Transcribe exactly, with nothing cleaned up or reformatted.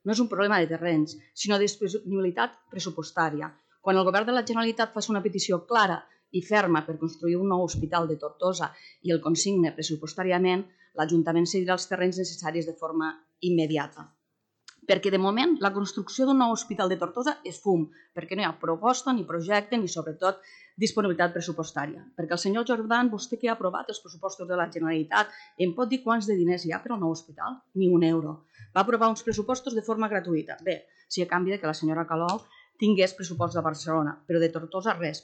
No és un problema de terrenys, sinó de disponibilitat pressupostària. Quan el govern de la Generalitat faci una petició clara i ferma per construir un nou hospital de Tortosa i el consigne pressupostàriament, l'Ajuntament cedirà els terrenys necessaris de forma immediata. Perquè de moment la construcció d'un nou hospital de Tortosa és fum, perquè no hi ha proposta ni projecte ni sobretot disponibilitat pressupostària. Perquè el senyor Jordan, vostè que ha aprovat els pressupostos de la Generalitat, em pot dir quants de diners hi ha per al nou hospital? Ni un euro. Va aprovar uns pressupostos de forma gratuïta. Bé, si a canvi que la senyora Calol tingués pressupost de Barcelona, però de Tortosa res.